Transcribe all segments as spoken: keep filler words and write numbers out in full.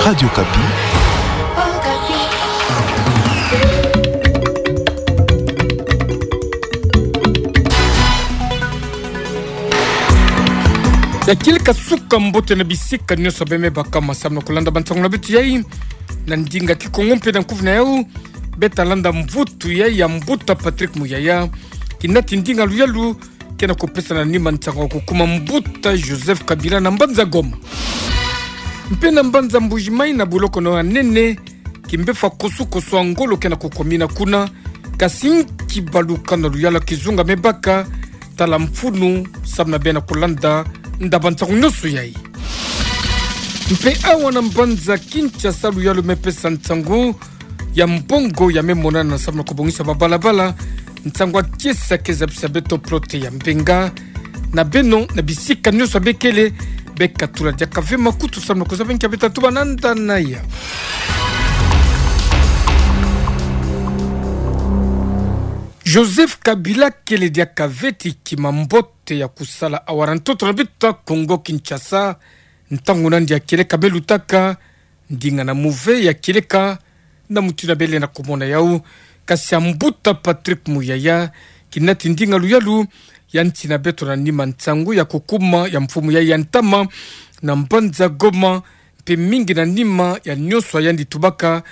Radio Okapi. Ya kieleka suka mbote na bisika nyonso bemebaka ma samu na kulanda bansango na beto yai na ndinga kikongo mpe na nkufi na yau. Beta landa mvutu yai ya mbuta Patrick Muyaya, kinati ndinga luyalu ke na kupesana nima nsango ya kukuma mbuta Joseph Kabila na mbanza Goma. Mpe na mbanza Mbuji-Mayi na buloko na yo ya nene, kimbefu ya kosukosu ya ngolo ke na kukumina kuna, kasi nki baluka na luyalu ya kizunga mebaka, tala mfunu samu na beno kulanda ndaba nsango nyonso yai. Mpe awa na mbanza Kinshasa luyalu mepesa nsango ya mbongo ya memonana samu na kubongisa babalabala, nsango ya kiese ke zabisa beto prote ya mbenga na beno na bisika nyonso bekele. Beka tula diaka ve makutu samu na kuzaba nki ya beta tubana nda na ya. Joseph Kabila kele diaka ve ti kima mbote ya kusala awa na ntoto na beto ya Congo Kinshasa, ntangu nandi ya kieleka melutaka, ndinga na muve ya kieleka na mutindu bele na kumona yau, kasi ya mbuta Patrick Muyaya, kinati ndinga luyalu ya ntina beto na nima nsangu ya kukuma ya mfumu yai ya ntama na mbanza Goma, mpe mingi na nima ya nyonso yandi tubaka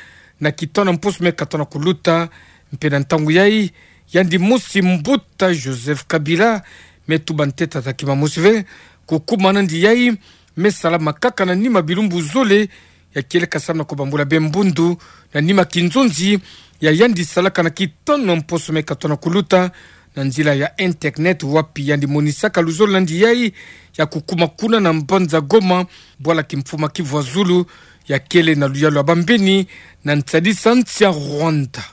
na kitana mposo me katana kuluta, mpe na ntangu yai, yandi mosi mbuta Joseph Kabila me tuba ntete ta kima mosi ve, kukuma nandi yai me salama kaka na nima bilumbu zole ya kieleka samu na kubambula be mbundu na nima kinzonzi ya yandi salaka na kitana mposo me katana kuluta na nzila ya internet, wapi yandi monisaka luzolo nandi yai ya kukuma kuna na mbanza Goma, bwala kimfumu ya Kivu ya Zulu ya kele na luyalu ya bambeni na nsadisa nsi ya Rwanda.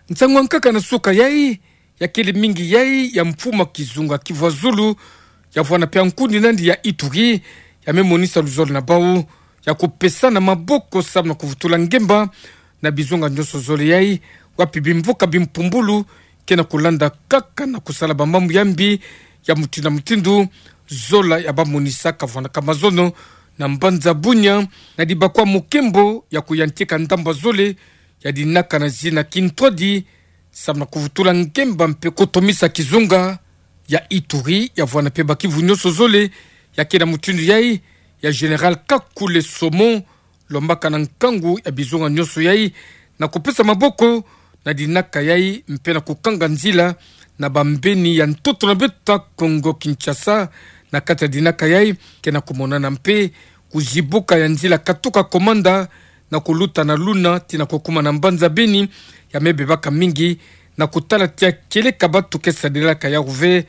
Nsangu ya nkaka na suka yai, ya kele mingi yai ya mfumu ya kizunga Kivu ya Zulu ya vwanda mpe ya nkundi nandi ya Ituri, ya me monisa luzolo na bau ya kupesana maboko samu na kuvutula ngemba na bizunga nyonso zole yai, wapi bimvuka bimpumbulu ke na kulanda kaka na kusala bamambu ya mbi ya mutindu na mutindu, zola ya ba monisaka vwandaka mazono na mbanza Bunia, na dibakwa mukembo ya kuyantika ndamba zole ya dinaka na zina kintwadi, samu na kuvutula ngemba mpe kutomisa kizunga ya Ituri, ya vwanda mpe ba Kivu nyonso zole ya ke na mutindu yai, ya Général Kakule Somo, lombaka na nkangu ya bizunga nyonso yai na kupesa maboko na dinaka yai mpe na kukanga nzila na bambeni ya ntoto na beto ya Congo Kinshasa. Na kati ya dinaka yai ke na kumonana mpe kuzibuka ya nzila katuka Komanda na kuluta na Luna tii na kukuma na mbanza Beni, ya me bebaka mingi na kutala ti ya kieleka batu ke sadilaka yau ve,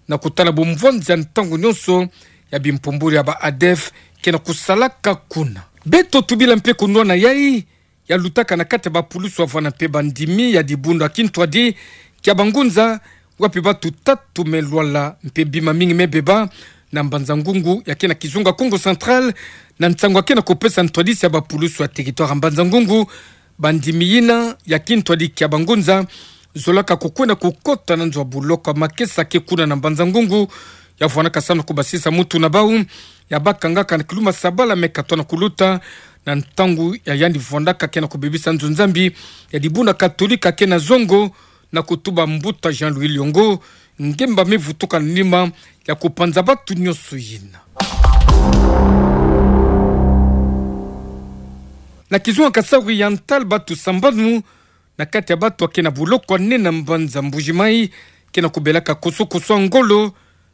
na kutala bumvwanzi ya ntangu nyonso ya bimpumbulu ya ba ADF ke na kusalaka kuna. Beto tubila mpe kunwana yai ya lutaka na kati ya bapulusu ya vwanda mpe bandimi ya dibundu ya kintwadi kia bangunza, wapi batu tatu me lwala mpe bima mingi me beba na mbanza Ngungu ya ke na kizunga Kongo Central, na nsangu ya ke na kupesa ntwadisi ya bapulusu ya territoire ya mbanza Ngungu. Bandimi yina ya kintwadi kia bangunza zolaka kukwenda kukota na nzo ya buloko ya makesa ke kuna na mbanza Ngungu, ya vwandaka samu na kubasisa mutu na bau, ya bakangaka na kiluma sabala me katana kuluta, na ntangu ya yandi vwandaka ke na kubebisa nzo Nzambi ya dibundu katolika ke na zongo, na kutuba mbuta Jean-Louis Liongo, ngemba me vutuka na nima ya kupanza batu nyonso yina. Na kizunga Kasaï Oriental, batu sambanu na kati ya batu ya ke na buloko ya nene na mbanza Mbuji-Mayi ke na kubelaka kosokoso ya ngolo,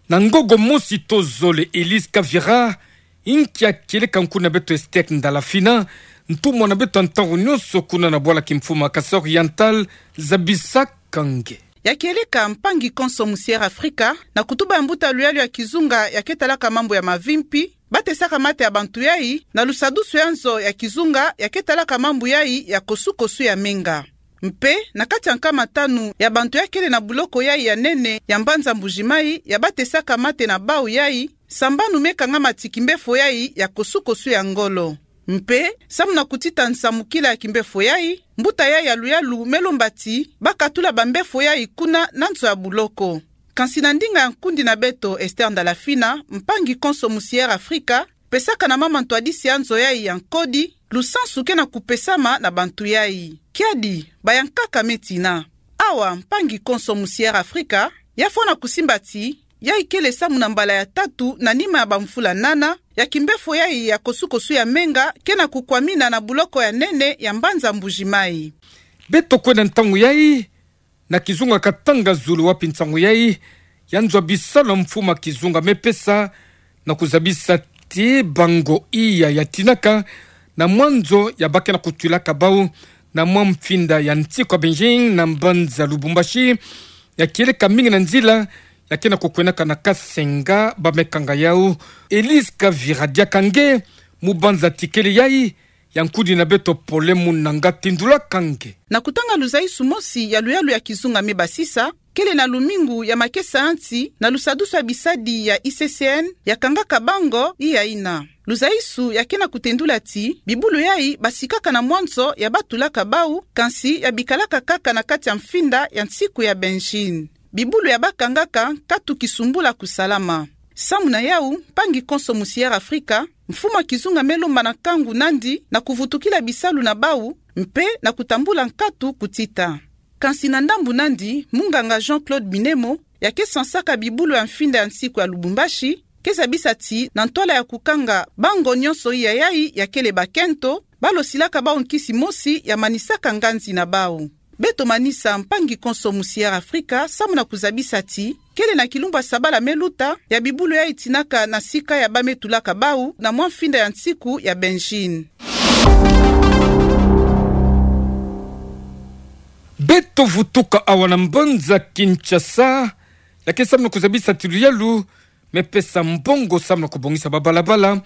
na ngogo mosi to zole. Elise Kavira, inki ya kieleka nkundu na beto Esther Ndalafina, ntumwa na beto ya ntangu nyonso kuna na bwala kimfumu ya Kasaï Oriental, zabisaka nge. Ya kieleka, mpangi konso Musière Afrika, na kutuba ya mbuta luyalu ya kizunga ya ke talaka mambu ya mavimpi, batesaka mate ya bantu yai, na lusadusu ya nzo ya kizunga ya ke talaka mambu yai ya kosukosu ya menga. Mpe, na kati ya nkama tanu ya bantu ya kele na buloko yai ya nene ya mbanza Mbuji-Mayi ya batesaka mate na bau yai, sambanu me kangama ti kimbefo yai ya kosukosu ya ngolo. Mpe, samu na kutita nsamukila ya kimbefo yai, mbuta yai ya luyalu me lomba ti bakatula bambefo yai kuna na nzo ya buloko. Kansi na ndinga ya nkundi na beto Esther Ndalafina, mpangi konso Musière Afrika, pesaka na mama ntwadisi ya nzo yai ya nkodi, lusansu ke na kupesama na bantu yai. Kiadi, baya nkaka me tina. Awa, mpangi konso mu Sierra Afrika, ya fwana kusimba ti, yai kele samu na mbala ya tatu na nima ya bamvula nana, ya kimbefo yai ya kosukosu ya menga, ke na kukwamina na buloko ya nene ya mbanza Mbuji-Mayi. Beto kwenda ntangu yai, na kizunga Katanga Zulu wapi ntangu yai, ya nzwa bisalu mfumu a kizunga me pesa, na kuzabisa ti bango iya ya tinaka, na mwa nzo ya ba ke na kutwilaka bau, na mwa mfinda ya nsiku ya Benjin, na mbanza Lubumbashi, ya kieleka mingi na nzila, ya ke na kukwendaka na Kasenga, ba me kanga yau. Elise Kavira diaka nge, mu banza tikele yai, ya nkudi na beto Pole Munanga tindulaka nge. Na kutanga luzaisu mosi ya luyalu ya kizunga me basisa, kele na lumingu ya makesansi, na lusadusu ya bisadi ya I C C N, ya kangaka bango, iya ina. Luzaisu ya ke na kutendula ti, bibulu yai basikaka na mwa nzo ya ba tulaka bau, kansi ya bikalaka kaka na kati ya mfinda ya nsiku ya Benjin. Bibulu ya ba kangaka, nkatu kisumbula kusalama. Samu na yau, mpangi konso mu Sierra Afrika, mfumu a kizunga me lomba na nkangu nandi, na kuvutukila bisalu na bau, mpe na kutambula nkatu kutita. Kansi na ndambu nandi, munganga Jean-Claude Binemo, ya ke sansaka bibulu ya mfinda ya nsiku ya Lubumbashi, ke zabisa ti, na ntwala ya kukanga bango nyonso iya yai ya kele bakento, ba losilaka bau nkisi mosi ya manisaka nganzi na bau. Beto manisa mpangi konso mu Sierra Afrika, samu na kuzabisa ti, kele na kilumbu ya sabala me luta, ya bibulu yai tinaka na sika ya ba me tulaka bau, na mwa mfinda ya nsiku ya Benjin. Beto vutuka awa na mbanza Kinshasa, ya ke samu na kuzabisa ti luyalu, me pesa mbongo samu na kubongisa babalabala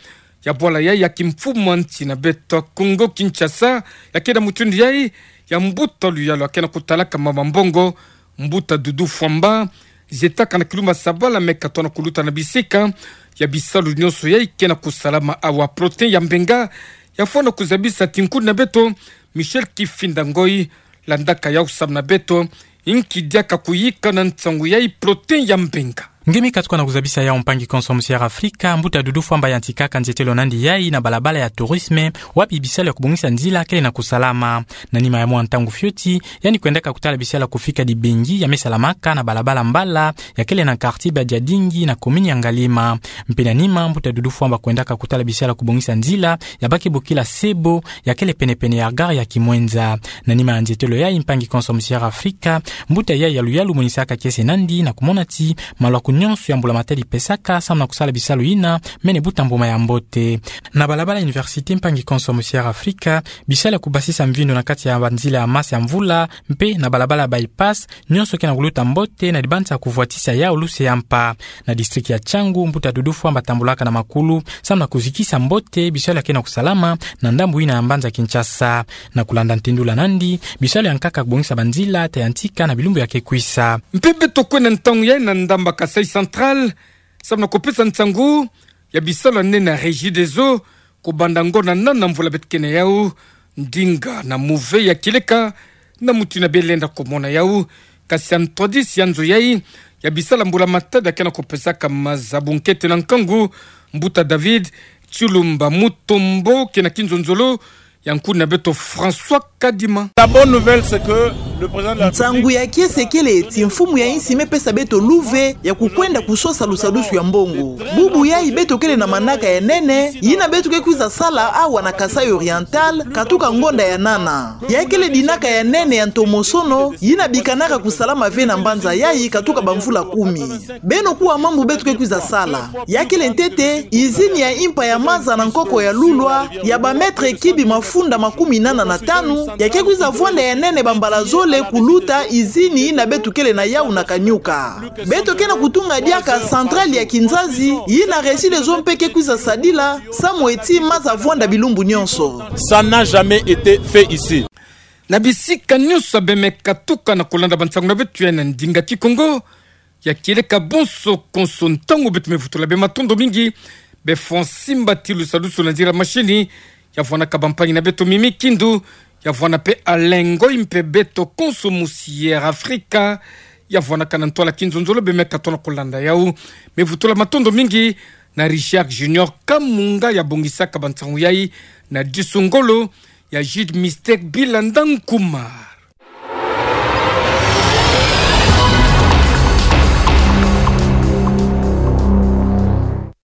ya bwala yai ya kimfumu a nsi na beto Kongo Kinshasa, ya ke na mutindu yai ya mbuta luyalu ya ke na kutalaka mama mbongo, mbuta Doudou Fwamba, zietaka na kilumbu ya sabala me katona kuluta na bisika ya bisalu nyonso yai ke na kusalama awa. Protin Yambenga, ya fwana kuzabisa ti nkudi na beto Michel Kifinda Ngoi, landaka yau samu na beto, inki diaka kuyika na nsangu yai? Protin Yambenga. Nge me katuka na kuzabisa yau mpangi konso mu Sierra Afrika, mbuta Doudou Fwamba yantikaka nzietelo nandi yai na balabala ya tourisme, wapi bisalu ya kubongisa nzila kele na kusalama. Na nima ya mwa ntangu fioti, yandi kwendaka kutala bisalu ya kufika dibengi ya me salamaka na balabala mbala, ya kele na quartier Badiadingi na commune ya Ngalima. Mpe na nima, mbuta Doudou Fwamba kwendaka kutala bisalu ya kubongisa nzila ya ba ke bokila Sebo, ya kele penepene ya gare ya Kimwenza. Na nima ya nzietelo yai, mpangi konso mu Sierra Afrika, mbuta yai ya luyalu monisaka kiese nandi na kumona ti maluaku nyonso ya mbula-matadi pesaka samu na kusala bisalu yina mene buta mbuma ya mbote. Na balabala université, mpangi konso mu Sierra Afrika, bisalu ya kubasisa mvindu na kati ya banzila ya masa ya mvula, mpe na balabala bypass, nyonso ke na kuluta mbote na dibanza ya kuvwatisa yau luse ya mpa. Na district ya Tshangu, mbuta Doudou Fwamba tambulaka na makulu samu na kuzikisa mbote bisalu ya ke na kusalama na ndambu yina ya mbanza Kinshasa. Na kulanda ntendula nandi, bisalu ya nkaka kubongisa banzila ta yantika na bilumbu ya ke kwisa. Mpe beto kwenda ntangu yai na ndamba Kasaï Central, samu na kupesa nsangu ya bisalu ya nene ya Regideso, kubanda ngonda nana mvula beto ke na yau, ndinga na muve ya kieleka na mutindu ya bie lenda kumona yau. Kasi ya ntwadisi ya nzo yai ya bisalu ya mbula-matadi ya ke na kupesaka maza bunkete na nkangu, mbuta David Tshilumba Mutombo, ke na kinzonzolo ya nkudi na beto François Kadima. La bonne nouvelle, c'est que le président de la République... Nsangu ya kiese kele ti mfumu ya insi me pesa beto luve ya kukwenda kusosa lusadusu ya mbongo. Bubu yai beto kele na manaka ya nene yina beto ke kwiza sala awa na Kasaï Oriental, katuka ngonda ya nana. Ya kele dinaka ya nene ya ntomosono yina bikanaka kusalama ve na mbanza yai katuka bamvula kumi. Beno kuwa mambu beto ke kwiza sala. Ya kele ntete, izini ya impa ya maza na nkoko ya Lulwa, ya ba mètre cube mafunda makumi nana na tanu, ya ke kwiza vwanda ya nene bambala zole kuluta izini yina beto kele na yau na Kanyuka. Beto ke na kutunga diaka centrale ya Kinzazi, yina Regideso mpe ke kwiza sadila, samu ti maza vwanda bilumbu nyonso. Ça n'a jamais été fait ici. Na bisika nyonso ya bie me katuka na kulanda bansangu na beto ya na ndinga Kikongo, ya kieleka bonso konso ntangu beto me vutula bie matondo mingi, bie fwa nsimbatilu sadusu na nzila mashini, ya vwanaka bampangi na beto Mimi Kindu, ya vwana mpe Alain Ngoi mpe beto konso mu Sierra Afrika, ya vwanaka na ntwala kinzonzolo bie me katona kulanda yau. Me vutula matondo mingi Na Risiak Junior Kamunga ya bongisa kabansangu yai na disu ngolo ya Jide Mistek Bilandang Kuma.